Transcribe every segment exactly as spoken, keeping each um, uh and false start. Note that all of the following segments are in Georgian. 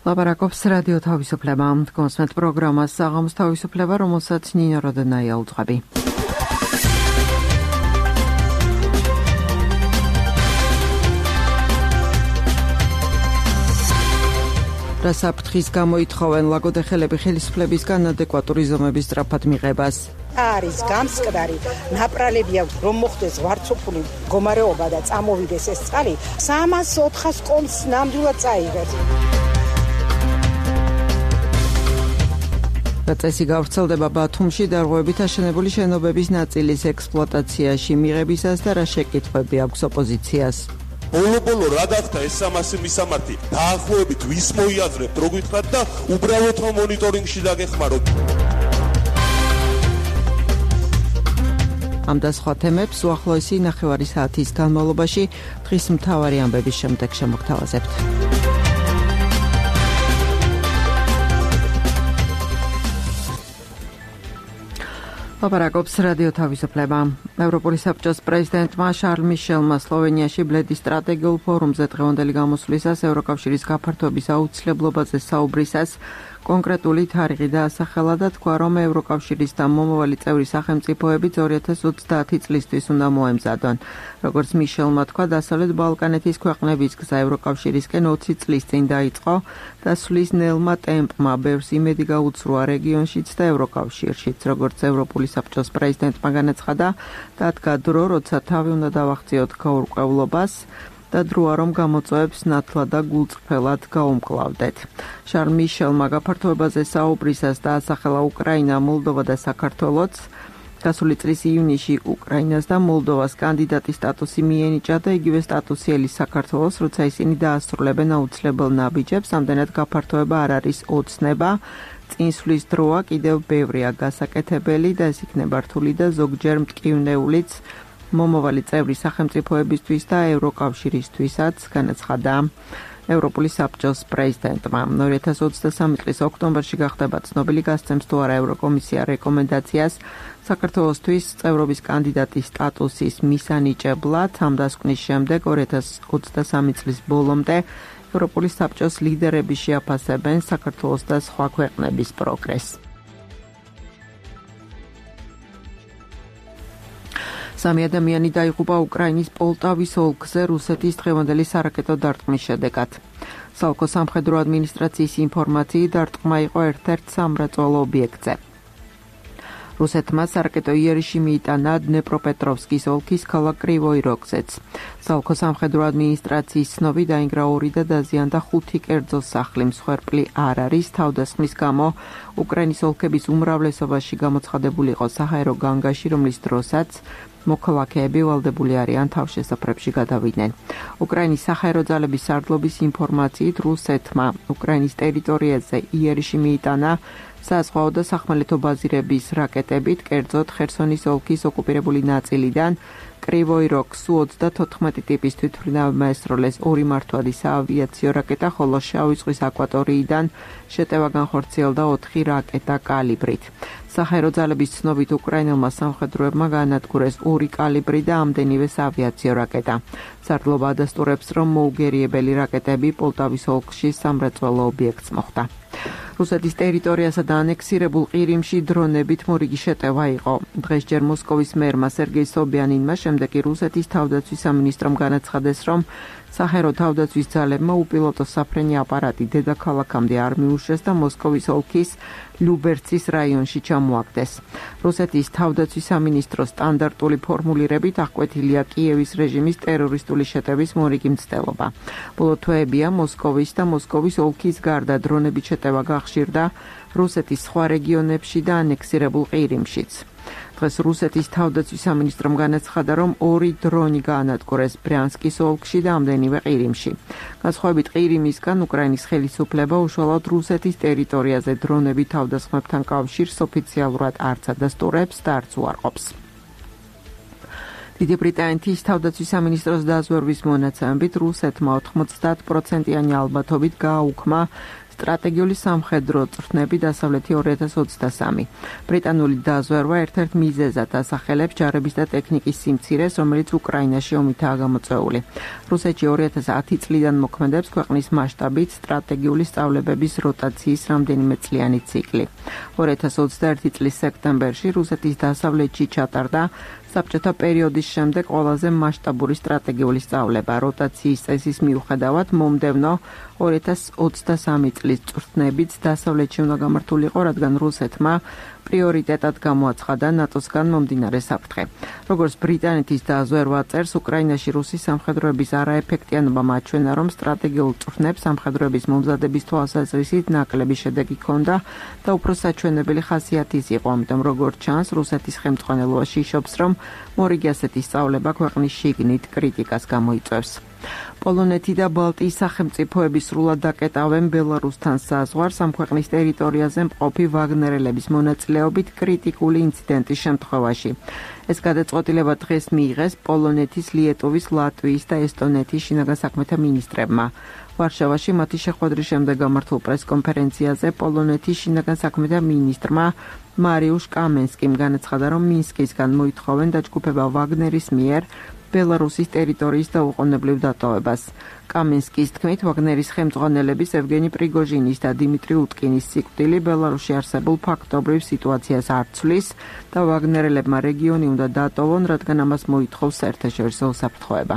ლაპარაკობს რადიო თავისუფლება. კონსმეთ პროგრამას საღამოს თავისუფლება, რომელსაც ნინო როდენაია უძღვები. რა საფრთხის გამოითხოვენ ლაგოდეხელები ხელისუფლებისგან ადეკვატური ზომების სწრაფად მიღებას. არის გამსკდარი ნაპრალები აქვს, რომ მოხდეს ვარცოფული მდგომარეობა და წამოვიდეს ეს წყალი სამას ოთხას კონს ნამდვილად წაიღებს. წესი გავრცელდება ბათუმში დარღვევებით აშენებული შენობების ნაწილის ექსპლუატაციაში მიღებისას და რა შეკითხვები აქვს ოპოზიციას. ბოლო-ბოლო რა გახდა ეს სამასი მისამართი დაახლოებით ვის მოიაზრებთ რო გითხრათ და უბრალოდ რომ მონიტორინგში დაგეხმაროთ. ამ და სხვა თემებს უახლოესი ნახევარი საათის განმავლობაში დღის მთავარი ამბების შემდეგ შემოგთავაზებთ. ლაპარაკობს რადიო თავისუფლება. ევროპული საბჭოს პრეზიდენტმა შარლ მიშელმა სლოვენიაში ბლედის სტრატეგიულ ფორუმზე დღევანდელი გამოსვლისას ევროკავშირის გაფართოების აუცილებლობაზე საუბრისას კონკრეტული თარიღი დაასახელა და თქვა, რომ ევროკავშირის და მომავალი წევრი სახელმწიფოებიც ორი ათას ოცდაათი წლისთვის უნდა მოემზადონ. როგორც მიშელმა თქვა, დასავლეთ ბალკანეთის ქვეყნების გზა ევროკავშირისკენ ოცი წლის წინ დაიწყო და სulis ნელმა ტემპმა ბევრს იმედი გაუცრუა რეგიონშიც და ევროკავშირშიც. როგორც ევროპული საბჭოს პრეზიდენტმა განაცხადა, დადგა დრო, როცა თავი უნდა დავახციოთ გაურკვევლობას და დროა რომ გამოწვევებს ნათლად და გულწრფელად გაუმკლავდეთ. შარლ მიშელმა გაფართოებაზე საუბრისას დაასახელა უკრაინა, მოლდოვა და საქართველოც. გასული წლის ივნისში უკრაინას და მოლდოვას კანდიდატის სტატუსი მიენიჭა და იგივე სტატუსი ელის საქართველოს, როცა ისინი დაასრულებენ აუცილებელ ნაბიჯებს, ამდენად გაფართოება არ არის ოცნება. წინსვლის დროა კიდევ ბევრია გასაკეთებელი და ეს იქნება რთული და ზოგჯერ მტკივნეულიც მომავალი წევრი სახელმწიფოებისთვის და ევროკავშირისთვისაც, განაცხადა ევროპული საბჭოს პრეზიდენტმა. ორი ათას ოცდასამი წლის ოქტომბერში გახდება ცნობილი, გასცემს თუ არა ევროკომისია რეკომენდაციას საქართველოსთვის წევრობის კანდიდატის სტატუსის მისანიჭებლად. ამ დასკვნის შემდეგ ორი ათას ოცდასამი წლის ბოლომდე ევროპული საბჭოს ლიდერები შეაფასებენ საქართველოს და სხვა ქვეყნების პროგრესს. სამი ადამიანი დაიღუპა უკრაინის პოლტავის ოლქზე რუსეთის დღევანდელი სარაკეტო დარტყმის შედეგად. სალკო სამხედრო ადმინისტრაციის ინფორმაციით დარტყმა იყო ერთ-ერთ სამრეწველო ობიექტზე. რუსეთმა სარაკეტო იერიში მიიტანა დნეპროპეტროვსკის ოლქის ქალაქ კრივოი როგზეც. სალკო სამხედრო ადმინისტრაციის ცნობით დაინგრა ორი და დაზიანდა ხუთი კერძო სახლი. მსხვერპლი არ არის. თავდასხმის გამო უკრაინის ოლქების უმრავლესობაში გამოცხადებული იყო საჰაერო განგაში, რომლის დროსაც მოქალაქეები ვალდებული არიან თავშესაფრებში გადავიდნენ. უკრაინის საჰაერო ძალების სარდლობის ინფორმაციით რუსეთმა უკრაინის ტერიტორიაზე იერიში მიიტანა საზღვაო და სახმელეთო ბაზირების რაკეტებით, კერძოდ ხერსონის ოლქის ოკუპირებული ნაწილიდან კრივოი როგს სუ ოცდათოთხმეტი ტიპის თვითმფრინავმა ესროლეს ორი მართვადი საავიაციო რაკეტა, ხოლო შავი ზღვის აკვატორიიდან შეტევა განხორციელდა ოთხი რაკეტა კალიბრით. საჰაერო ძალების ცნობით უკრაინელმა სამხედროებმა გაანადგურეს ორი კალიბრი და ამდენივე საავიაციო რაკეტა. სარდლობა ადასტურებს, რომ მოუგერიებელი რაკეტები პოლტავის ოლქში სამრეწველო ობიექტს მოხვდა. რუსეთის ტერიტორიასა და ანექსირებულ ყირიმში დრონებით მორიგი შეტევა იყო. დღეს ჯერ მოსკოვის მერმა სერგეი სობიანინმა, შემდეგ კი რუსეთის თავდაცვის სამინისტრომ განაცხადეს, რომ საჰაერო თავდაცვის ძალებმა უპილოტო საფრენი აპარატი დედაქალაქამდე არ მიუშვეს და მოსკოვის ოლქის ლიუბერცის რაიონში ჩამოაგდეს. რუსეთის თავდაცვის სამინისტროს სტანდარტული ფორმულირებით აღკვეთილია კიევის რეჟიმის ტერორისტული შეტევის მორიგი მცდელობა. ბოლო თვეებია მოსკოვის და მოსკოვის ოლქის გარდა დრონებით შეტევა გახშირდა რუსეთის სხვა რეგიონებში და ანექსირებულ ყირიმშიც. დღეს რუსეთის თავდაცვის სამინისტრომ განაცხადა, რომ ორი დრონი გაანადგურეს ბრიანსკის ოლქში და ამდენივე ყირიმში. განსხვავებით ყირიმისგან, უკრაინის ხელისუფლება უშუალოდ რუსეთის ტერიტორიაზე დრონები თავდასხმებთან კავშირს ოფიციალურად არც ადასტურებს და არც უარყოფს. დიდი ბრიტანეთის თავდაცვის სამინისტროს დაზვერვის მონაცემებით რუსეთმა ოთხმოცდაათ პროცენტიანი ალბათობით გააუქმა სტრატეგიული სამხედრო წვრთნები დასავლეთი ორი ათას ოცდასამი. ბრიტანული დაზვერვა ერთ-ერთ მიზეზად ასახელებს ჯარების და ტექნიკის სიმცირეს, რომელიც უკრაინაში ომითაა გამოწვეული. რუსეთში ორი ათას ათი წლიდან მოქმედებს ქვეყნის მასშტაბით სტრატეგიული სწავლებების როტაციის რამდენიმე წლიანი ციკლი. ორი ათას ოცდაერთი წლის სექტემბერში რუსეთის დასავლეთში ჩატარდა საბჭოთა პერიოდის შემდეგ ყველაზე მასშტაბური სტრატეგიული სწავლება. როტაციის წესის მიუხედავად მომდევნო ორი ათას ოცდასამი წლის წვრთნებიც დასავლეთში უნდა გამართულიყო, რადგან რუსეთმა პრიორიტეტად გამოაცხადა ნატოსგან მომდინარე საფრთხე. როგორც ბრიტანეთის დაზვერვა წერს, უკრაინაში რუსის სამხედროების არაეფექტიანობა მაჩვენა, რომ სტრატეგიულ წვრთნებს სამხედროების მომზადების თვალსაზრისით ნაკლები შედეგი ჰქონდა და უფრო საჩვენებელი ხასიათის იყო, ამიტომ როგორც ჩანს, რუსეთის ხელმძღვანელობაში იშობს, რომ მორიგი ასეთი სწავლება ქვეყნის შიგნით კრიტიკას გამოიწვევს. პოლონეთი და ბალტიის სახელმწიფოები სრულად დაკეტავენ ბელარუსთან საზღვარს ამ ქვეყნის ტერიტორიაზე მყოფი ვაგნერელების მონაწილეობით კრიტიკული ინციდენტის შემთხვევაში. ეს გადაწყვეტილება დღეს მიიღეს პოლონეთის, ლიეტუვის, ლატვიის და ესტონეთის შინაგან საქმეთა მინისტრებმა. ვარშავაში მათი შეხვედრის შემდეგ გამართულ პრესკონფერენციაზე პოლონეთის შინაგან საქმეთა მინისტრმა მარიუშ კამენსკიმ განაცხადა, რომ მინსკისგან მოითხოვენ დაჯგუფება ვაგნერის მიერ ბელარუსის ტერიტორიის დაუყოვნებლივ დატოვებას. კამენსკის თქმით, ვაგნერის ხელმძღვანელების ევგენი პრიგოჟინის და დიმიტრი უტკინის სიკვდილი ბელარუსში არსებულ ფაქტობრივ სიტუაციას არ ცვლის და ვაგნერელებმა რეგიონი უნდა დატოვონ, რადგან ამას მოითხოვს საერთაშორისო უსაფრთხოება.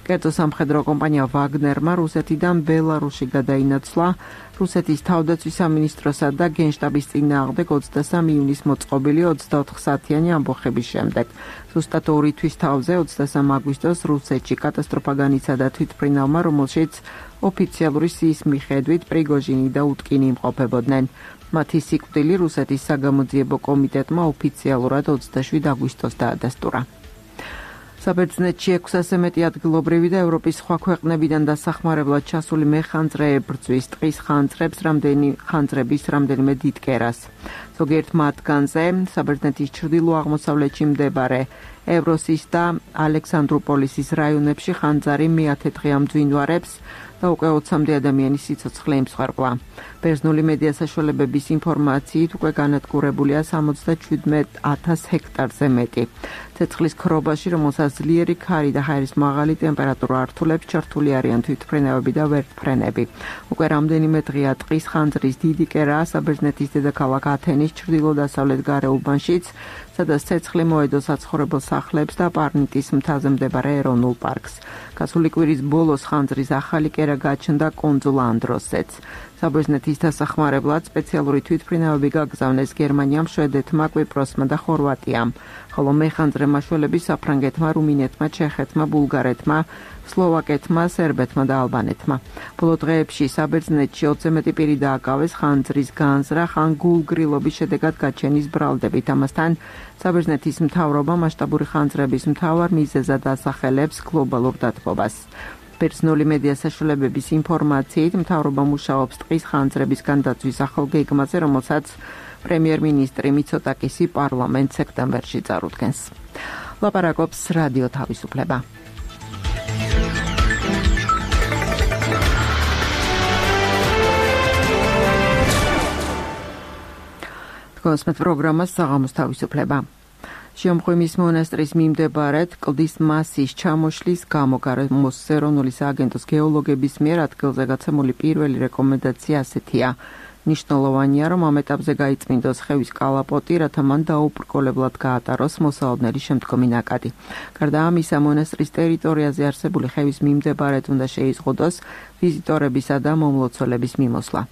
კერძო სამხედრო კომპანია ვაგნერმა რუსეთიდან ბელარუსში გადაინაცვლა რუსეთის თავდაცვის სამინისტროსა და გენშტაბის წინააღმდეგ ოცდასამი ივნის მოწყობილი ოცდაოთხ საათიანი ამბოხების შემდეგ. ზუსტად ორი თვის თავზე ოცდასამი აგვისტოს რუსეთში კატასტროფა განიცადა თვითმფრინავმა, რომელშიც ოფიციალური სიის მიხედვით პრიგოჟინი და უტკინი იმყოფებოდნენ. მათი სიკვდილი რუსეთის საგამოძიებო კომიტეტმა ოფიციალურად ოცდაშვიდი აგვისტოს დაადასტურა. საბერძნეთში ექვსასზე მეტი ადგილობრივი და ევროპის სხვა ქვეყნებიდან დასახმარებლად ჩასული მეხანძრეები ბრძვის ტყის ხანძრებს რამდენი ხანძრების რამდენიმე დიდ კერას. ზოგიერთ მათგანზე საბერძნეთის ჩრდილო-აღმოსავლეთში მდებარე ევროსის და ალექსანდროპოლისის რაიონებში ხანძარი მეათე დღე ამძვინვარებს და უკვე ოცამდე ადამიანის სიცოცხლე იმსხვერპლა. ბერძნული მედია საშუალებების ინფორმაციით უკვე განადგურებულია სამოცდაშვიდ ათას ჰექტარზე მეტი. ცეცხლის ქრობაში, რომელსაც ძლიერი ქარი და ჰაერის მაღალი ტემპერატურა ართულებს, ჩართული არიან თვითმფრინავები და ვერტმფრენები. უკვე რამდენიმე დღეა ტყის ხანძრის დიდი კერაა საბერძნეთის დედაქალაქ ათენის ჩრდილო-დასავლეთ გარეუბანშიც, სადაც ცეცხლი მოედო საცხოვრებელ სახლებს და პარნიტის მთაზე მდებარე ეროვნულ პარკს. გასული კვირის ბოლოს ხანძრის ახალი კერა გაჩნდა კუნძულ ანდროსზეც. საბერძნეთის დასახმარებლად სპეციალური თვითმფრინავები გაგზავნეს გერმანიამ, შვედეთმა, კვიპროსმა და ხორვატიამ, ხოლო მეხანძრე მაშველები საფრანგეთმა, რუმინეთმა, ჩეხეთმა, ბულგარეთმა, სლოვაკეთმა, სერბეთმა და ალბანეთმა. ბოლო დღეებში საბერძნეთში ოცზე მეტი პირი დააკავეს ხანძრის განზრახ ან გულგრილობის შედეგად გაჩენის ბრალდებით. ამასთან საბერძნეთის მთავრობა მასშტაბური ხანძრების მთავარ მიზეზად ასახელებს გლობალურ დათბობას. ბერძნული მედია საშუალებების ინფორმაციით, მთავრობა მუშაობს ტყის ხანძრების განდაცვის ახალ გეგმაზე, რომელსაც პრემიერ-მინისტრი მიცოტაკისი პარლამენტ სექტემბერში წარუდგენს. ლაპარაკობს რადიო თავისუფლება. თქვენს პროგრამას საღამოს თავისუფლება. შემოხვიმის მონასტრის მიმდებარედ კლდის მასის ჩამოშლის გამო გარემოს ეროვნული სააგენტოს გეოლოგების მიერ ადგილზე გაცემული პირველი რეკომენდაცია ასეთია. ნიშნულოვანია, რომ ამ ეტაპზე გაიწმინდოს ხევის კალაპოტი, რათა მან დაუბრკოლებლად გაატაროს მოსალოდნელი შემდგომი ნაკადი. გარდა ამისა, მონასტრის ტერიტორიაზე არსებული ხევის მიმდებარედ უნდა შეიზღუდოს ვიზიტორებისა და მომლოცველების მიმოსვლა.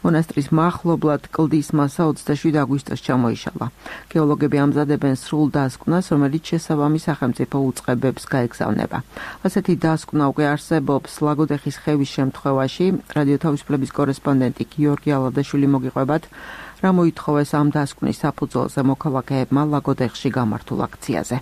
მონასტრის მახლობლად კლდის მასა ოცდაშვიდი აგვისტოს ჩამოიშალა. გეოლოგები ამზადებენ სრულ დასკვნას, რომელიც შესაბამის სახელმწიფო უწყებებს გაეგზავნება. ასეთი დასკვნა უკვე არსებობს ლაგოდეხის ხევის შემთხვევაში. რადიო თავისუფლების კორესპონდენტი გიორგი ალადაშვილი მოგიყვებათ, რა მოითხოვეს ამ დასკვნის საფუძველზე მოქალაქეებმა ლაგოდეხში გამართულ აქციაზე.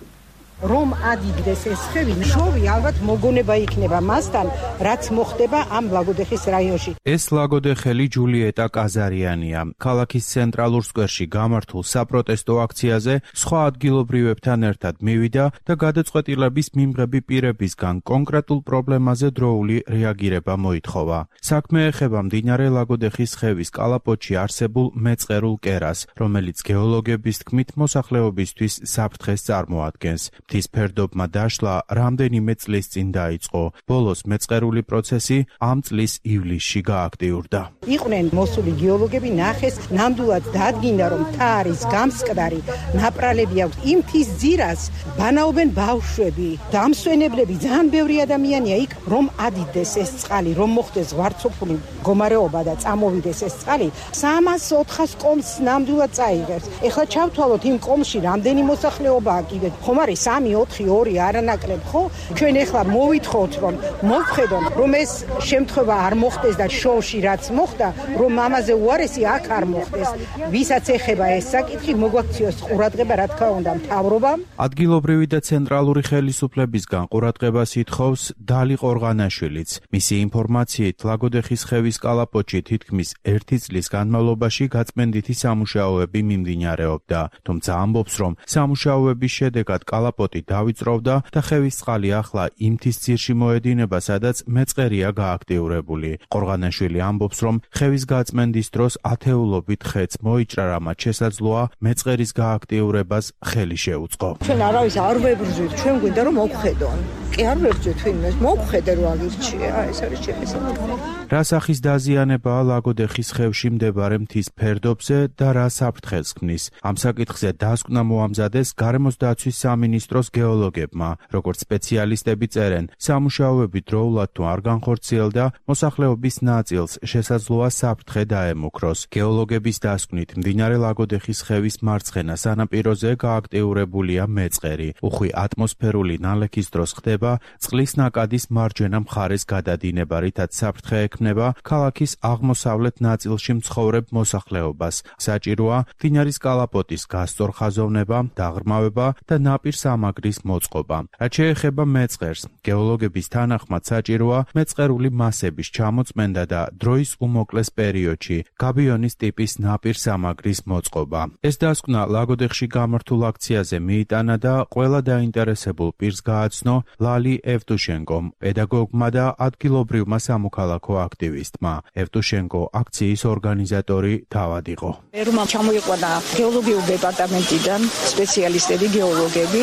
რომ ადიდეს ეს ხევი, შოვი ალბათ მოგონება იქნება მასთან, რაც მოხდება ამ ლაგოდეხის რაიონში. ეს ლაგოდეხელი ჯულიეტა კაზარიანია. ქალაქის ცენტრალურ სკვერში გამართულ საპროტესტო აქციაზე სხვა ადგილობრივებთან ერთად მივიდა და გადაწყვეტილების მიმღები პირებისგან კონკრეტულ პრობლემაზე დროული რეაგირება მოითხოვა. საქმე ეხება მდინარე ლაგოდეხის ხევის კალაპოტში არსებულ მეწყერულ კერას, რომელიც გეოლოგების თქმით მოსახლეობისთვის საფრთხეს წარმოადგენს. მთის ფერდობმა დაშლა რამდენიმე წლის წინ დაიწყო. ბოლოს მეწყერული პროცესი ამ წლის ივლისში გააქტიურდა. იყვნენ მოსული გეოლოგები, ნახეს ნამდვილად დადგინდა, რომ მთა არის გამსკდარი, ნაპრალები აქვს იმ მთის ძირას, ბანაობენ ბავშვები, დამსვენებლები, ძალიან ბევრი ადამიანია იქ, რომ ადიდეს ეს წყალი, რომ მოხდეს ზღვარცოფული მდგომარეობა და წამოვიდეს ეს წყალი, სამას ოთხას კომს ნამდვილად წაიღებს. ეხლა ჩავთვალოთ იმ კომში რამდენი მოსახლეობაა კიდე. ხომ არის სამი, ოთხი, ორი არანაკლებ, ხო? ჩვენ ეხლა მოვითხოვთ, რომ მოვხედონ, რომ ეს შემთხვევა არ მოხდეს და შოუში რაც მოხდა, რომ ამაზე უარესი აქ არ მოხდეს. ვისაც ეხება ეს საკითხი, მოგვაქციოს ყურადღება, რა თქმა უნდა, მთავრობამ. ადგილობრივი და ცენტრალური ხელისუფლებისგან ყურადღებას ითხოვს დალი ყორღანაშვილიც. მისი ინფორმაციით, ლაგოდეხის ხევის კალაპოტში თითქმის ერთი წლის განმავლობაში გაწმენდითი სამუშაოები მიმდინარეობდა. თუმცა ამბობს, რომ სამუშაოების შედეგად კალაპოტი დავიწროვდა და ხევის წყალი ახლა იმ მთის ძირში მოედინება, სადაც მეწყერია გააქტიურებული. ყორღანაშვილი ამბობს, რომ ხევის გაწმენდის დროს ათეულობით ხეც მოიჭრა, რამაც შესაძლოა მეწყერის გააქტიურებას ხელი შეუწყო. ჩვენ არავის არ ვებრძვით, ჩვენ გვინდა რომ მოვხედონ. კი არ ვებრძვით ვინმეს, მოვხედე რომ აგირჩია, ეს არის ჩემი საკითხი. რა სახის დაზიანებაა ლაგოდეხის ხევში მდებარე მთის ფერდობზე და რა საფრთხეს ქმნის? ამ საკითხზე დასკვნა მოამზადეს გარემოს დაცვის სამინისტროს გეოლოგებმა. როგორც სპეციალისტები წერენ, სამუშაოები დროულად თუ არ განხორციელდა, მოსახლეობის ნაწილს შესაძლოა საფრთხე დაემუქროს. გეოლოგების დასკვნით, მდინარე ლაგოდეხის ხევის მარცხენა სანაპიროზე გააქტიურებულია მეწყერი. უხვი ატმოსფერული ნალექის დროს ხდება წყლის ნაკადის მარჯვენა მხარეს გადადინება, რითაც საფრთხე ექმნება ქალაქის აღმოსავლეთ ნაწილში მცხოვრებ მოსახლეობას. საჭიროა მდინარის კალაპოტის გასწორხაზოვნება, დაღრმავება და ნაპირსამაგრის მოწყობა. რაც შეეხება მეწყერს, გეოლოგების თანახმად საჭიროა მეწყერული მასების ჩამოწმენდა და დროის უმოკლეს პერიოდში გაბიონის ტიპის ნაპირსამაგრის მოწყობა. ეს დასკვნა ლაგოდეხში გამართულ აქციაზე მიიტანა და ყველა დაინტერესებულ პირს გააცნო ლალი ევტუშენკომ, პედაგოგმა და ადგილობრივმა სამოქალაქო აქტივისტმა. ევტუშენკო აქციის ორგანიზატორი თავად იყო. ერმა ჩამოიყვანა გეოლოგიურ დეპარტამენტიდან სპეციალისტები, გეოლოგები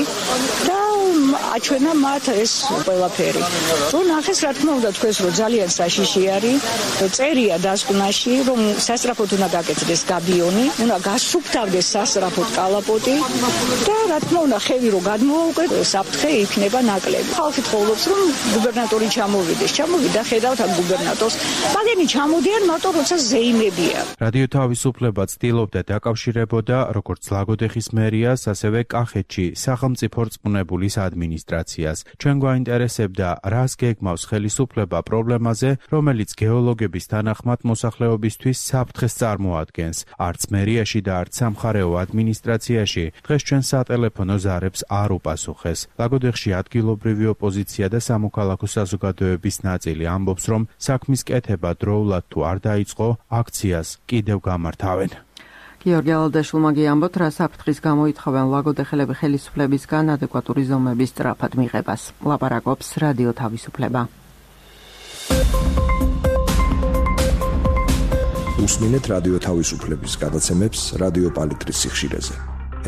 და აჩვენა მათ ეს ყველაფერი. რომ ნახეს, რა თქმა უნდა, თქვენს რომ ძალიან საშიში არის, წერია დასკვნაში, რომ სასწრაფოდ უნდა გაკეთდეს გაბიონი, უნდა გასუფთავდეს სასწრაფოდ კალაპოტი და რა თქმა უნდა, ხევი რომ გადმოაუყვეთ, საფრთხე იქნება ნაკლები. ხალხი თხოვობს, რომ გუბერნატორი ჩამოვიდეს. ჩამოვიდა, ხედავთ ამ გუბერნატორს. მაგენი ჩამოდიან მარტო როცა ზეიმებია. რადიო თავისუფლება ცდილობდა დაკავშირებოდა როგორც ლაგოდეხის მერიას, ასევე კახეთში სახელმწიფო რწმუნებულის ადმინისტრაციას. ჩვენ გვაინტერესებდა, რას გეგმავს ხელისუფლება პრობლემაზე, რომელიც გეოლოგების თანახმად მოსახლეობისთვის საფრთხეს წარმოადგენს. არც მერიაში და არც სამხარეო ადმინისტრაციაში დღეს ჩვენ სატელეფონო ზარებს არ უპასუხეს. ლაგოდეხში ადგილობრივი ოპოზიცია და სამოქალაქო საზოგადოების ნაწილი ამბობს, რომ საქმის კეთება დროულად თუ არ დაიწყო, აქციას კიდევ გამართავენ. გიორგი ალადაშვილმა გიამბოთ, რა საფრთხის გამოითხოვენ ლაგოდეხელები ხელისუფლებისგან ადეკვატური ზომების სწრაფად მიღებას. ლაპარაკობს რადიო თავისუფლება. უსმინეთ რადიო თავისუფლების გადაცემებს რადიო პალიტრის სიხშირეზე.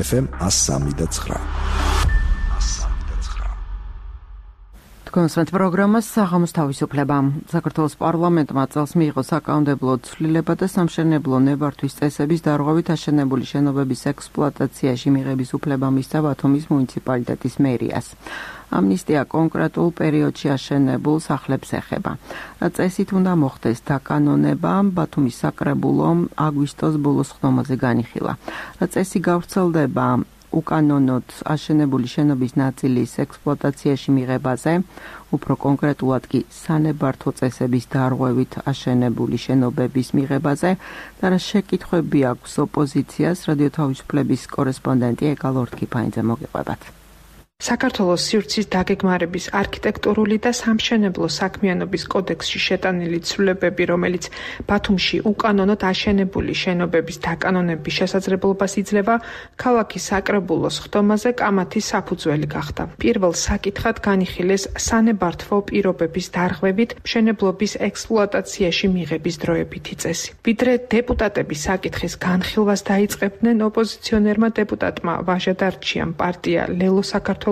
ეფ ემ one oh three და nine. თქვენს პროგრამას საღამოს თავისუფლება. საქართველოს პარლამენტმა წელს მიიღო საკანონმდებლო ცვლილება და სამშენებლო ნებართვის წესების დარღვევით აშენებული შენობების ექსპლუატაციაში მიღების უფლება მისცა ბათუმის მუნიციპალიტეტის მერიას. ამნისტია კონკრეტულ პერიოდში აშენებულ სახლებს ეხება. რა წესით უნდა მოხდეს დაკანონება, ბათუმის საკრებულომ აგვისტოს ბოლოს ხდომაზე განიხილა. რა წესი გავრცელდება უკანონოდ აშენებული შენობის ნაწილის ექსპლუატაციაში მიღებაზე, უფრო კონკრეტულად კი სანებართვო წესების დარღვევით აშენებული შენობების მიღებაზე და რა შეკითხვები აქვს ოპოზიციას, რადიო თავისუფლების კორესპონდენტი ეკა ლორთქიფაინძე მოგიყვებათ. საქართველოს სივრცის დაგეგმარების არქიტექტურული და სამშენებლო საქმიანობის კოდექსში შეტანილი ცვლილებები, რომელიც ბათუმში უკანონოდ აშენებული შენობების დაკანონების შესაძლებლობას იძლევა, ქალაქის საკრებულოს ხდომაზე კამათის საფუძველი გახდა. პირველ საკითხად განიხილეს სანებართვო პირობების დარღვევით მშენებლობის ექსპლუატაციაში მიღების დროებითი წესი. ვიდრე დეპუტატები საკითხის განხილვას დაიწყებდნენ, ოპოზიციონერმა დეპუტატმა ვაჟა დარჩიამ პარტია ლელო საქართველოდან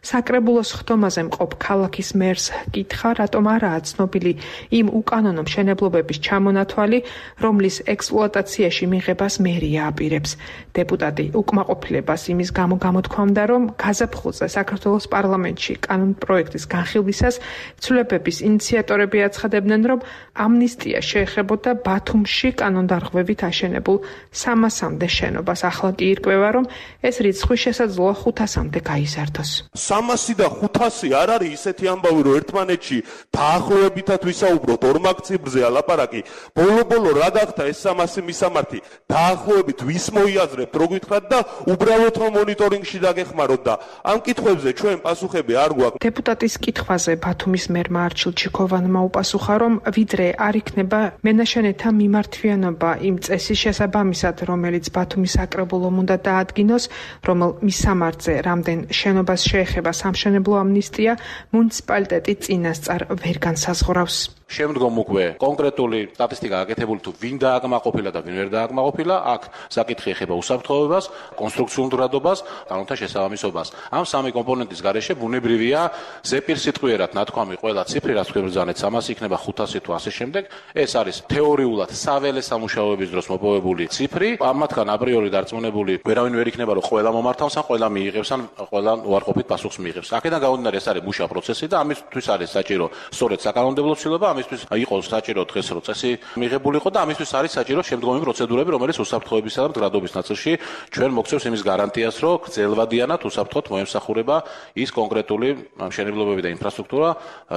საკრებულოს ხდომაზე მყოფ ქალაქის მერს კითხა, რატომ არაა ცნობილი იმ უკანონო მშენებლობების ჩამონათვალი, რომლის ექსპლუატაციაში მიღებას მერია აპირებს. დეპუტატი უკმაყოფილებას იმის გამო გამოთქვამდა, რომ გაზაფხულზე საქართველოს პარლამენტში კანონპროექტის განხილვისას ცვლილებების ინიციატორები აცხადებდნენ, რომ ამნისტია შეეხებოდა ბათუმში კანონდარღვევით აშენებულ სამასამდე შენობას. ახლა კი ირკვევა, რომ ეს რიცხვი შესაძლოა ხუთასამდე გაიზარდოს. სამასი და ხუთასი არ არის ისეთი ამბავი, რომ ერთმანეთში დაახლოებითად ვისაუბროთ ორმაგ ციფრზე ალაპარაკი. ბოლო-ბოლო რა გახდა ეს სამასი მისამართი? დაახლოებით ვის მოიაზრებთ, რო გითხრათ და უბრალოდ რომ მონიტორინგში დაგეხმაროთ და ამ კითხვებზე ჩვენ პასუხები არ გვაქვს. დეპუტატის კითხვაზე ბათუმის მერმა არჩილ ჩიქოვანმა უპასუხა, რომ ვიდრე არ იქნება მენაშენეთა მიმართვიანობა იმ წესის შესაბამისად, რომელიც ბათუმის საკრებულომ უნდა დაადგინოს, რომელ მისამართზე რამდენ შენობას შეეხება სამშენებლო ამნისტია, მუნიციპალიტეტი წინასწარ ვერ განსაზღვრავს. შემდგომ უკვე კონკრეტული სტატისტიკა გაკეთებული თუ ვინ დააკმაყოფილა და ვინ ვერ დააკმაყოფილა, აქ საკითხი ეხება უსაფრთხოებას, კონსტრუქციულ მდგრადობას, კანონთან შესაბამისობას. ამ სამი კომპონენტის გარეშე ბუნებრივია ზეპირსიტყვიერად ნათქვამი ყველა ციფრი, რაც გვებრძანეთ სამასი იქნება ხუთასი თუ ასე შემდეგ. ეს არის თეორიულად საველე სამუშაოების დროს მოპოვებული ციფრი. ამათგან აპრიორი დარწმუნებული ვერავინ ვერ იქნება, რომ ყველა მომართავს ან ყველა მიიღებს ან ყველა უარყოფით პასუხს მიიღებს. აქედან გამომდინარე ეს არის მუშა პროცესი და ამისთვის არის საჭირო სწორედ საკანონმდებლო ცვლილება, ამისთვის იყოს საჭირო დღეს რო წესი მიღებულიყო და ამისთვის არის საჭირო შემდგომი პროცედურები, რომელიც უსაფრთხოებისა და მდგრადობის ნაწილში ჩვენ მოგცევს იმის გარანტიას, რომ გრძელვადიანად უსაფრთხოდ მოემსახურება ის კონკრეტული მშენებლობები და ინფრასტრუქტურა,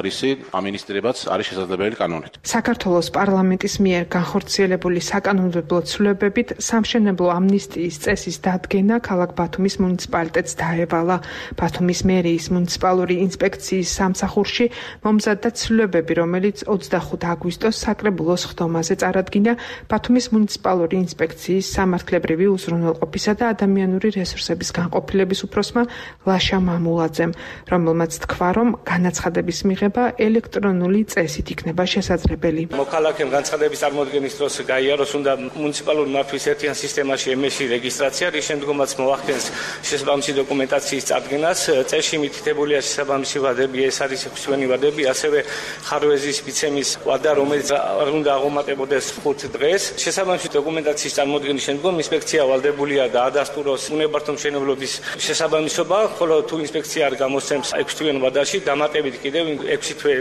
რისი ამინისტრირებაც არის შესაძლებელი კანონით. საქართველოს პარლამენტის მიერ განხორციელებული საკანონმდებლო ცვლილებებით სამშენებლო ამნისტიის წესის დადგენა ქალაქ ბათუმის მუნიციპალიტეტს დაევალა. ბათუმის მერიის მუნიციპალური ინსპექციის სამსახურში მომზადდა ცვლილებები, რომელიც ოცდახუთი აგვისტოს საკრებულოს ხდომაზე წარადგინა ბათუმის მუნიციპალური ინსპექციის სამართლებრივი უზრუნველყოფისა და ადამიანური რესურსების განყოფილების უფროსმა ლაშა მამულაძემ, რომელმაც თქვა, რომ განაცხადების მიღება ელექტრონული წესით იქნება შესაძლებელი. მოქალაქემ განცხადების წარმოდგენის დროს გაიაროს უნდა მუნიციპალური მართვის ერთიან სისტემაში ემეში რეგისტრაცია, რის შემდგომაც მოახდენს შესაბამისი დოკუმენტაციის წარდგენას. წესში მითითებულია შესაბამისი ვადები, ეს არის ექვსივენი ვადები, ასევე ხარვეზის მიცემის ვადა, რომელიც არ უნდა აღომატებოდეს ხუთ დღეს. შესაბამისი დოკუმენტაციის წარმოდგენის შემდგომ ინსპექცია ვალდებულია დაადასტუროს უნებართო მშენებლობის შესაბამისობა, ხოლო თუ ინსპექცია არ გამოსცემს ექვსივენ ვადაში, დამატებით კიდევ ექვსი თვე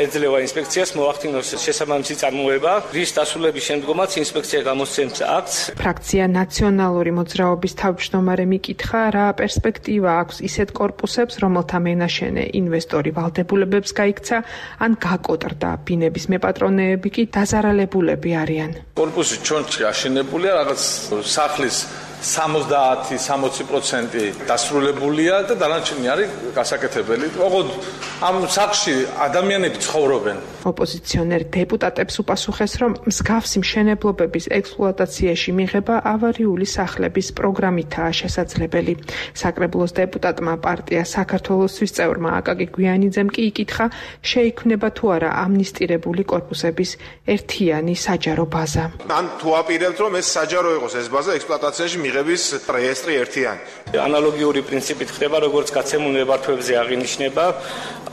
ეძლევა ინსპექციას მოახდინოს შესაბამისი წარმოება, რის დასრულების შემდგომაც ინსპექცია გამოსცემს აქტს. ფრაქცია ნაციონალური მოძრაობის თავმჯდომარე მიკითხა, რა პერსპექტივა აქვს ისეთ კორპუსებს, რომელთა მენაშენე ინვესტორი ვალდებულებებს გაიქცა ან გაკოტრდა, ბინების მეპატრონეები კი დაზარალებულები არიან. კორპუსი ჩონჩი აშენებულია, რაღაც სახლის სამოცდაათი სამოცი პროცენტი დასრულებულია და დანარჩენი არის გასაკეთებელი. ოღონდ ამ სახლში ადამიანები ცხოვრობენ. ოპოზიციონერ დეპუტატებს უპასუხეს, რომ მსგავსი მშენებლობების ექსპლუატაციაში მიღება ავარიული სახლების პროგრამითაა შესაძლებელი. საკრებულოს დეპუტატმა პარტია საქართველოსთვის წევრმა აკაკი გვიანიძემ კი იკითხა, შეიქმნება თუ არა ამნისტირებული კორპუსების ერთიანი საჯარო ბაზა. ან თუ აპირებთ, რომ ეს საჯარო იყოს ეს ბაზა ექსპლუატაციაში მიღების რეესტრი ერთიანი. ანალოგიური პრინციპით ხდება, როგორც გაცემულ ნებართვებზე აღინიშნება,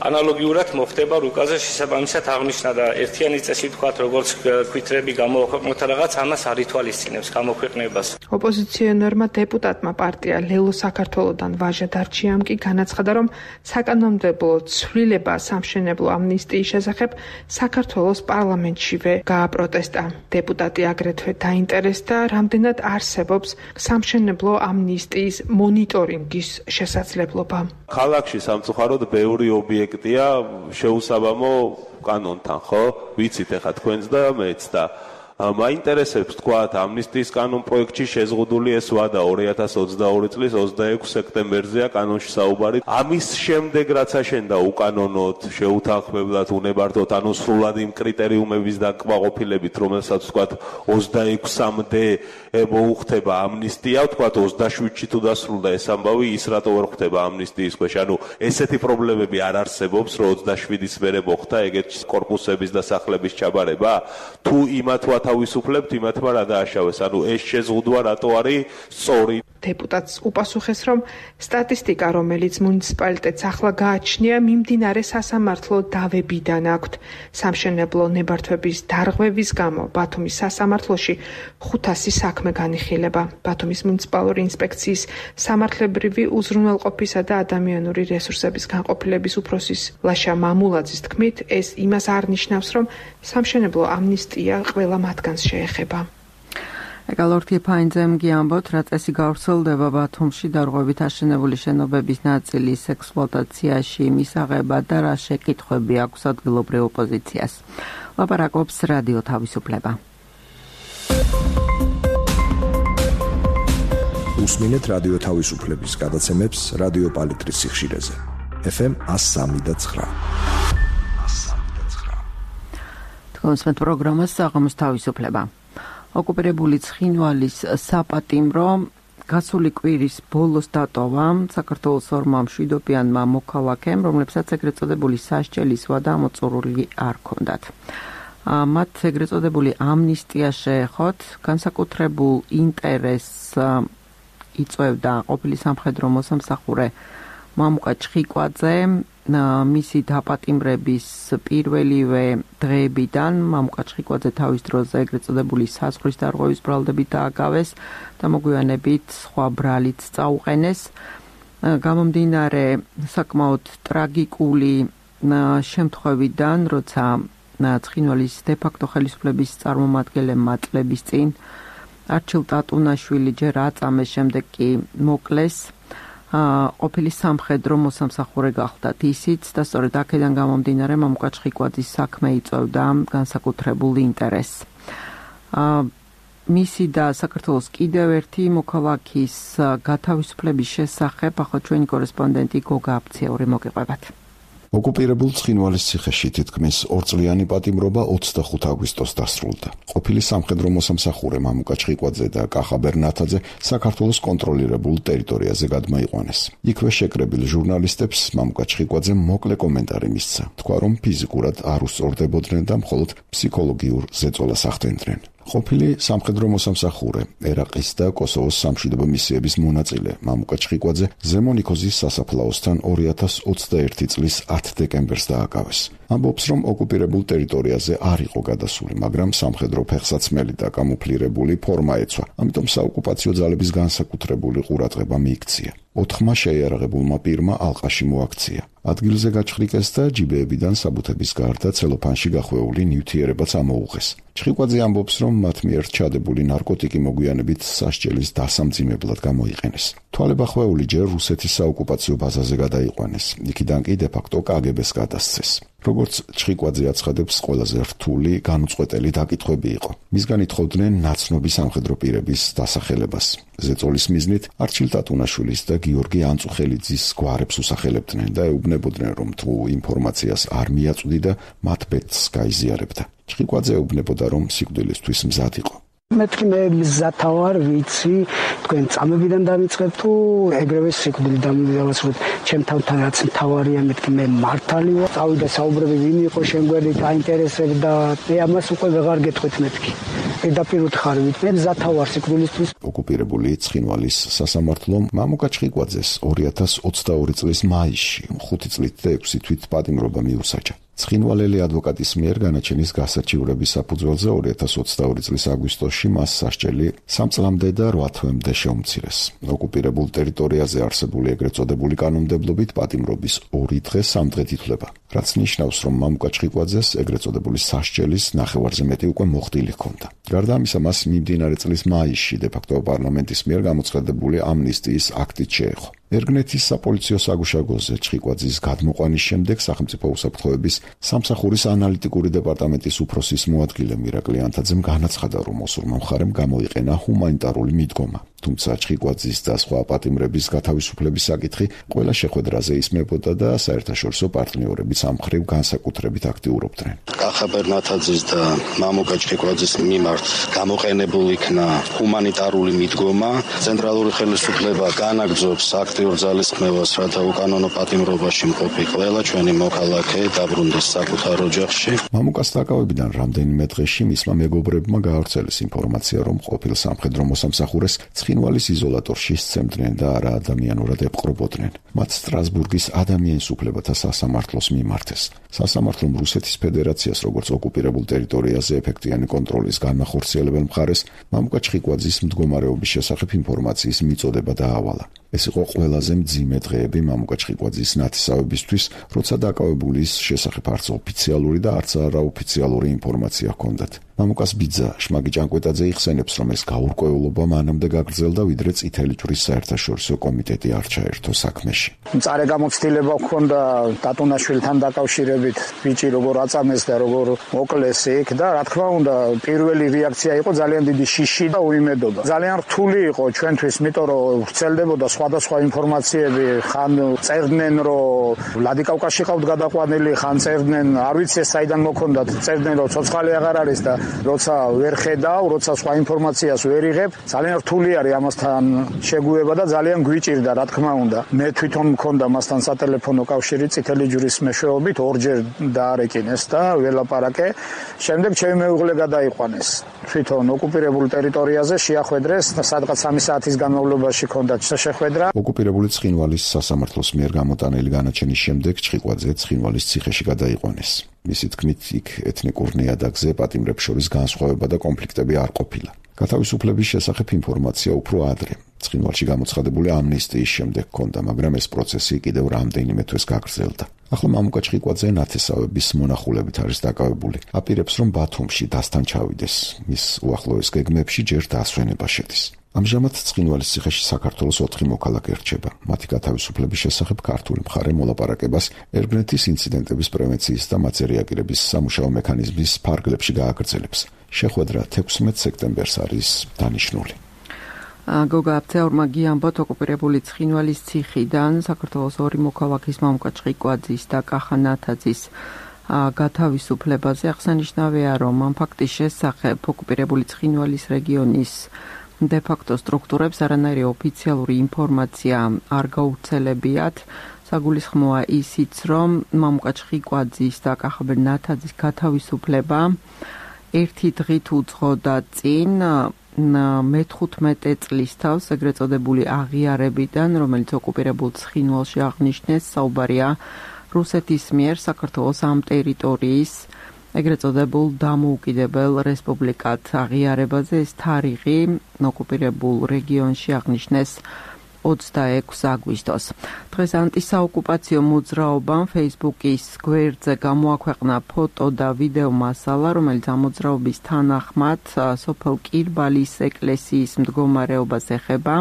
ანალოგიურად მოხდება რუკაზე შესაბამისად აღნიშნა და ერთიანი წესი თქვათ, როგორც ქვითრები გამოაქვეყნოთ რაღაც, ამას არ ითვალისწინებს გამოქვეყნებას. ოპოზიციონერმა დეპუტატმა პარტია ლელო საქართველოდან ვაჟა დარჩიამ კი განაცხადა, რომ საკანონმდებლო ცვლილება სამშენებლო ამნისტიის შესახებ საქართველოს პარლამენტშივე გააპროტესტა. დეპუტატი აგრეთვე დაინტერესდა, რამდენად არსებობს სამშენებლო ამნისტიის მონიტორინგის შესაძლებლობა. ქალაქში სამწუხაროდ ბევრი ობიექტია შეუსაბამო კანონთან, ხო? ვიცით ახლა თქვენც და მეც და მაინტერესებს თქვათ ამნისტიის კანონ პროექტში შეზღუდული ეს ვადა ორი ათას ოცდაორი წლის ოცდაექვსი სექტემბერზეა კანონში საუბარი. ამის შემდეგ რაც აშენდა უკანონოდ შეუთანხმებლად უნებართვოდ ანუ სრულად იმ კრიტერიუმების დაკმაყოფილებით რომელსაც თქვათ ოცდაექვსამდე მოუხდება ამნისტია, თქვათ ოცდაშვიდში თუ დასრულდა ეს ამბავი ის რატო ვერ ხდება ამნისტიის ქვეშ. ანუ ესეთი პრობლემები არ არსებობს რომ ოცდაშვიდის მერე მოხდა ეგეთი კორპუსების და სახლების ჩაბარება? თუ იმათ ვათავისუფლებთ, იმათმა რა დააშავეს? ანუ ეს შეზღუდვა რატო არის სწორი? დეპუტატს უპასუხეს, რომ სტატისტიკა, რომელიც მუნიციპალიტეტს ახლა გააჩნია, მიმდინარე სასამართლო დავებიდან აქვთ. სამშენებლო ნებართვების დარღვევის გამო ბათუმის სასამართლოში ხუთასი საქმე განიხილება. ბათუმის მუნიციპალური ინსპექციის სამართლებრივი უზრუნველყოფისა და ადამიანური რესურსების განყოფილების უფროსის ლაშა მამულაძის თქმით, ეს იმას არ ნიშნავს, რომ სამშენებლო ამნისტია ყველა მათგანს შეეხება. ეკალორთი ფაინძემ გიამბოთ, რა წესი გავრცელდება ბათუმში დარღვევით აშენებული შენობების ნაწილის ექსპლუატაციაში მისაღება და რა შეკითხვები აქვს ადგილობრივ ოპოზიციას. ლაპარაკობს რადიო თავისუფლება. უსმინეთ რადიო თავისუფლების გადაცემებს რადიო პალიტრის სიხშირეზე. ეფ ემ εκατო სამი და ცხრა. თქვენს პროგრამას საღამოს თავისუფლება. ოკუპირებული ცხინვალის საპატიმრო გასული კვირის ბოლოს დატოვა საქართველოს ორმა მშვიდობიანმა მოქალაქემ, რომლებსაც ეგრეთ წოდებული სასჯელის ვადა მოწურული არ ჰქონდათ. მათ ეგრეთ წოდებული ამნისტია შეეხოთ, განსაკუთრებულ ინტერესს იწვევდა ყოფილი სამხედრო მოსამსახურე მამუკა ჩხიკვაძე, მისი დაპატიმრების პირველივე დღეებიდან მამუკა ჩხიკვაძე თავის დროზე ეგრეთ წოდებული საზღვრის დარღვევის ბრალდებით დააგავეს და მოგვიანებით სხვა ბრალიც წაუყენეს. გამომდინარე საკმაოდ ტრაგიკული შემთხვევიდან, როცა ცხინვალის დე-ფაქტო ხელისუფლების წარმომადგენლებმა წლების წინ არჩილ ტატუნაშვილი ჯერ აწამეს, შემდეგ კი მოკლეს. ყოფილი სამხედრო მოსამსახურე გახდათ ისიც და სწორედ აქედან გამომდინარე მამუკა ჩხიკვაძის საქმე იწვევდა განსაკუთრებულ ინტერესს. მისი და საქართველოს კიდევ ერთი მოქალაქის გათავისუფლების შესახებ ახლა ჩვენი კორესპონდენტი გოგა აფციური მოგიყვებათ. ოკუპირებულ ცხინვალის ციხეში თითქმის ორწლიანი პატიმრობა ოცდახუთი აგვისტოს დასრულდა. ყოფილი სამხედრო მოსამსახურე მამუკა ჩხიკვაძე და კახა ბერნათაძე საქართველოს კონტროლირებულ ტერიტორიაზე გადმოიყვანეს. იქვე შეკრებილ ჟურნალისტებს მამუკა ჩხიკვაძე მოკლე კომენტარი მისცა. თქვა, რომ ფიზიკურად არ უსწორდებოდნენ და მხოლოდ ფსიქოლოგიურ ზეწოლას ახდენდნენ. ყოფილი სამხედრო მოსამსახურე, ერაყის და კოსოვოს სამშვიდობო მისიების მონაწილე მამუკა ჩხიკვაძე ზემო ნიქოზის სასაფლაოსთან ორი ათას ოცდაერთი წლის ათი დეკემბერს დააკავეს. ამბობს, რომ ოკუპირებულ ტერიტორიაზე არ იყო გადასული, მაგრამ სამხედრო ფეხსაცმელი და კამუფლირებული ფორმა ეცვა, ამიტომ საოკუპაციო ძალების განსაკუთრებული ყურადღება მიიქცია. ოთხმა შეიარაღებულმა პირმა ალყაში მოაქცია. ადგილზე გაჩხრიკეს და ჯიბეებიდან საბუთების გარდა ცელოფანში გახვეული ნივთიერებაც ამოუღეს. ჩხიკვაძე ამბობს, რომ მათ მიერ ჩადებული ნარკოტიკი მოგვიანებით სასჯელის დასამძიმებლად გამოიყენეს. თვალებახვეული ჯერ რუსეთის საოკუპაციო ბაზაზე გადაიყვანეს, იქიდან კი დე-ფაქტო კა გე ბეს გადასცეს. როგორც ჩხიკვაძე აცხადებს, ყველაზე რთული განუწყვეტელი დაკითხვები იყო. მისგან ითხოვდნენ ნაცნობი სამხედრო პირების დასახელებას. ზეწოლის მიზნით არჩილ ტატუნაშვილის და გიორგი ანწუხელიძის გვარებს უსახელებდნენ და ეუბნებოდნენ, რომ თუ ინფორმაციას არ მიაწვდი და მათ ბედს გაიზიარებდა. ჩხიკვაძე ეუბნებოდა, რომ სიკვდილისთვის მზად იყო. მეთქი მე მზათა ვარ, ვიცი, თქვენ წამებიდან დამიწყებ თუ ეგრევე სიკვდილიდან დავასრულებ. ჩემ თავთან რაც მთავარია, მეთქი მე მართალი ვარ. წავიდა საუბრები ვინ იყო შემგვერი დაინტერესებდა. მე ამას უკვე ვეღარ გეტყვით მეთქი. პირდაპირ უთხარით, მე მზათა ვარ სიკვდილისთვის. ოკუპირებული ცხინვალის სასამართლომ მამუკა ჩხიკვაძეს ორი ათას ოცდაორი წლის მაისში ხუთი წლით და ექვსი თვით პატიმრობა მიუსაჯა. ცხინვალელი ადვოკატის მიერ განაჩენის გასაჩივრების საფუძველზე ორი ათას ოცდაორი წლის აგვისტოში მას სასჯელი სამ წლამდე და რვა თვემდე შეუმცირეს. ოკუპირებულ ტერიტორიაზე არსებული ეგრეთ წოდებული კანონმდებლობით პატიმრობის ორი დღე სამ დღედ ითვლება, რაც ნიშნავს, რომ მამუკა ჩხიკვაძეს ეგრეთ წოდებული სასჯელის ნახევარზე მეტი უკვე მოხდილი ჰქონდა. გარდა ამისა, მას მიმდინარე წლის მაისში დე-ფაქტო პარლამენტის მიერ გამოცხადებული ამნისტიის აქტით შეეხო. ერგნეთის საპოლიციო საგუშაგოზე ჩხიკვაძის გადმოყვანის შემდეგ სახელმწიფო უსაფრთხოების სამსახურის ანალიტიკური დეპარტამენტის უფროსის მოადგილე მირაკლი ანთაძემ განაცხადა, რომ მოსურმა მხარემ გამოიყენა ჰუმანიტარული მიდგომა. თუმცა ჩხიკვაძის და სხვა პატიმრების გათავისუფლების საკითხი ყველა შეხვედრაზე ისმებოდა და საერთაშორისო პარტნიორებიც ამ მხრივ განსაკუთრებით აქტიურობდნენ. კახა ბერნათაძის და მამუკა ჩხიკვაძის მიმართ გამოყენებულ იქნა ჰუმანიტარული მიდგომა. ცენტრალური ხელისუფლება განაგრძობს აქტიურ ძალისხმევას, რათა უკანონო პატიმრობაში მყოფი ყველა ჩვენი მოქალაქე დაბრუნდეს საკუთარ ოჯახში. მამუკას დაკავებიდან რამდენიმე დღეში მისმა მეგობრებმა გაავრცელეს ინფორმაცია, რომ ყოფილ სამხედრო მოსამსახურეს ცხინვალის იზოლატორში სცემდნენ და არა ადამიანურად ეპყრობოდნენ. მათ სტრასბურგის ადამიანის უფლებათა სასამართლოს მიმართეს. სასამართლომ რუსეთის ფედერაციას როგორც ოკუპირებულ ტერიტორიაზე ეფექტიანი კონტროლის განმახორციელებელ მხარეს მამუკა ჩხიკვაძის მდგომარეობის შესახებ ინფორმაციის მიწოდება დაავალა. ეს იყო ყველაზე მძიმე დღეები მამუკა ჩხიკვაძის ნათესავებისთვის, როცა დაკავებულის შესახებ არც ოფიციალური და არც არაოფიციალური ინფორმაცია ჰქონდათ. მამუკას ბიძა შმაგი ჭანკვეტაძე იხსენებს, რომ ეს გაურკვევლობა მანამდე გაგრძელდა, ვიდრე წითელი ჯვრის საერთაშორისო კომიტეტი არ ჩაერთო საქმეში. მწარე გამოცდილება ჰქონდა დატუნაშვილთან დაკავშირებით, ბიჭი როგორ აწამეს და როგორ მოკლეს იქ და რა თქმა უნდა, პირველი რეაქცია იყო ძალიან დიდი შიში და უიმედობა. ძალიან რთული იყო ჩვენთვის, იმიტომ რომ ვრცელდებოდა სხვადასხვა ინფორმაციები, ხან წერდნენ, რომ ვლადიკავკაზში ყავთ გადაყვანილი, ხან წერდნენ, არ ვიცი ეს საიდან მოქონდათ, წერდნენ, რომ ცოცხალი აღარ არის და როცა ვერ ხედავ, როცა სხვა ინფორმაციას ვერ იღებ, ძალიან რთული არის ამასთან შეგუება და ძალიან გვიჭირდა, რა თქმა უნდა. მე თვითონ მქონდა მასთან სატელეფონო კავშირი წითელი ჯვრის მეშვეობით, ორჯერ დაარეკინეს და ველაპარაკე. შემდეგ ჩემი მეუღლე გადაიყვანეს. თვითონ ოკუპირებულ ტერიტორიაზე შეახვედრეს, სადღაც სამი საათის განმავლობაში ჰქონდა შეხვედრა. ოკუპირებული ცხინვალის სასამართლოს მიერ გამოტანილი განაჩენის შემდეგ ჩხიკვაძე ცხინვალის ციხეში გადაიყვანეს. მისი თქმით, იქ ეთნიკურ ნიადაგზე პატიმრებს შორის განსხვავება და კონფლიქტები არ ყოფილა. გათავისუფლების შესახებ ინფორმაცია უფრო ადრე, ცხინვალში გამოცხადებული ამნისტიის შემდეგ ჰქონდა, მაგრამ ეს პროცესი კიდევ რამდენიმე თვეს გაგრძელდა. ახლა მამუკა ჩხიკვაძე ნათესავების მონახულებით არის დაკავებული. აპირებს, რომ ბათუმში დასთან ჩავიდეს. მის უახლოეს გეგმებში ჯერ დასვენება შედის. ამჟამად ცხინვალის ციხეში საქართველოს ოთხი მოქალაქე რჩება. მათი გათავისუფლების შესახებ ქართული მხარე მოლაპარაკებას ერგნეთის ინციდენტების პრევენციის და მათზე რეაგირების სამუშაო მექანიზმის ფარგლებში გააგრძელებს. შეხვედრა თექვსმეტ სექტემბერს არის დანიშნული. გოგა აფცეურმა გიამბოთ ოკუპირებული ცხინვალის ციხიდან საქართველოს ორი მოქალაქის მამუკა ჩხიკვაძის და კახა ნათაძის გათავისუფლებაზე. აღსანიშნავია, რომ ამ ფაქტის შესახებ ოკუპირებული ცხინვალის რეგიონის დე-ფაქტო სტრუქტურებს არანაირი ოფიციალური ინფორმაცია არ გაუცელებიათ. საგულისხმოა ისიც, რომ მამუკა ჩხიკვაძის და კახა ბერნათაძის გათავისუფლება ერთი დღით უძღოდა წინ მეთხუთმეტე წლის თავს ეგრეთ წოდებული აღიარებიდან, რომელიც ოკუპირებულ ცხინვალში აღნიშნეს. საუბარია რუსეთის მიერ საქართველოს ამ ტერიტორიის ეგრეთ წოდებულ დამოუკიდებელ რესპუბლიკად აღიარებაზე. ეს თარიღი ოკუპირებულ რეგიონში აღნიშნეს ოცდაექვსი აგვისტოს. დღეს ანტისაოკუპაციო მოძრაობამ Facebook-ის გვერდზე გამოაქვეყნა ფოტო და ვიდეო მასალა, რომელიც ამ მოძრაობის თანახმად სოფელ კირბალის ეკლესიის მდგომარეობას ეხება.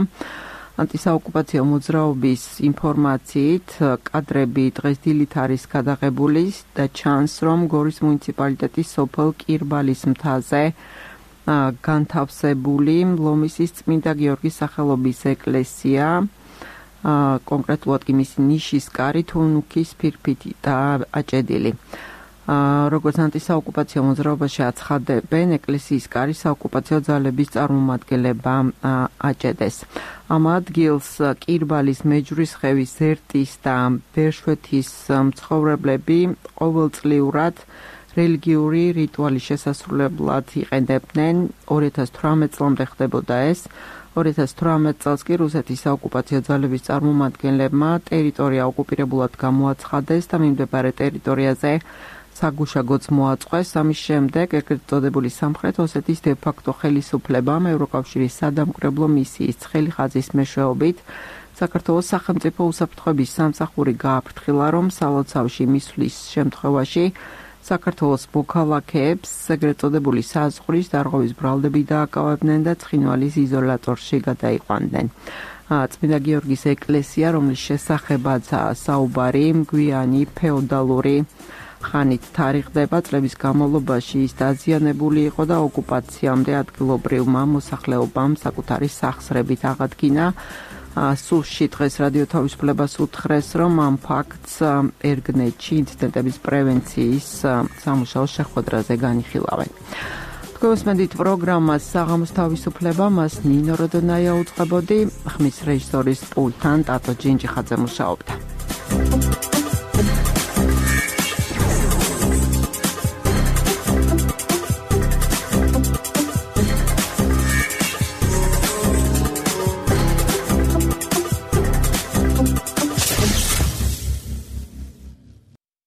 ანტისაოკუპაციო მოძრაობის ინფორმაციით კადრები დღეს დილით არის გადაღებული და ჩანს, რომ გორის მუნიციპალიტეტის სოფელ კირბალის მთაზე განთავსებული ლომისის წმინდა გიორგის სახელობის ეკლესია, კონკრეტულად კი მისი ნიშის კარი თუნუქის ფირფიტი და აჭედილი. როგორც ანტისაოკუპაციო მოძრაობაში აცხადებენ, ეკლესიის კარი საოკუპაციო ძალების წარმომადგენლებმა აჭედეს. ამ ადგილს კირბალის მეჯვრისხევის ზერტის და ბერშვეთის მცხოვრებლები ყოველწლიურად რელიგიური რიტუალის შესასრულებლად იყენებდნენ. ორი ათას თვრამეტ წლამდე ხდებოდა ეს. ორი ათას თვრამეტ წელს კი რუსეთის საოკუპაციო ძალების წარმომადგენლებმა ტერიტორია ოკუპირებულად გამოაცხადეს და მიმდებარე ტერიტორიაზე საგუშაგოც მოაწყვეს. ამის შემდეგ ეგრეთ წოდებული სამხრეთ ოსეთის დე-ფაქტო ხელისუფლებამ ევროკავშირის სადამკვირვებლო მისიის ცხელი ხაზის მეშვეობით საქართველოს სახელმწიფო უსაფრთხოების სამსახური გააფრთხილა, რომ სალოცავში მისვლის შემთხვევაში საქართველოს მოქალაქეებს ეგრეთ წოდებული საზღვრის დარღვევის ბრალდები დააკავებდნენ და ცხინვალის იზოლატორში გადაიყვანდნენ. წმინდა გიორგის ეკლესია, რომლის შესახებაც საუბარი გვიანი ფეოდალური ხანით თარიღდება, წლების განმავლობაში ის დაზიანებული იყო და ოკუპაციამდე ადგილობრივმა მოსახლეობამ საკუთარი სახსრებით აღადგინა. სულში დღეს რადიო თავისუფლებას უთხრეს, რომ ამ ფაქტს ერგნეთში ინციდენტების პრევენციის სამუშაოს შეხვედრაზე განიხილავენ. თქვენს პროგრამას საღამოს თავისუფლება, მას ნინო როდონაია უწყებოდი, ხმის რეჟისორის პულტთან ტატო ჯინჯიხაძე მუშაობდა.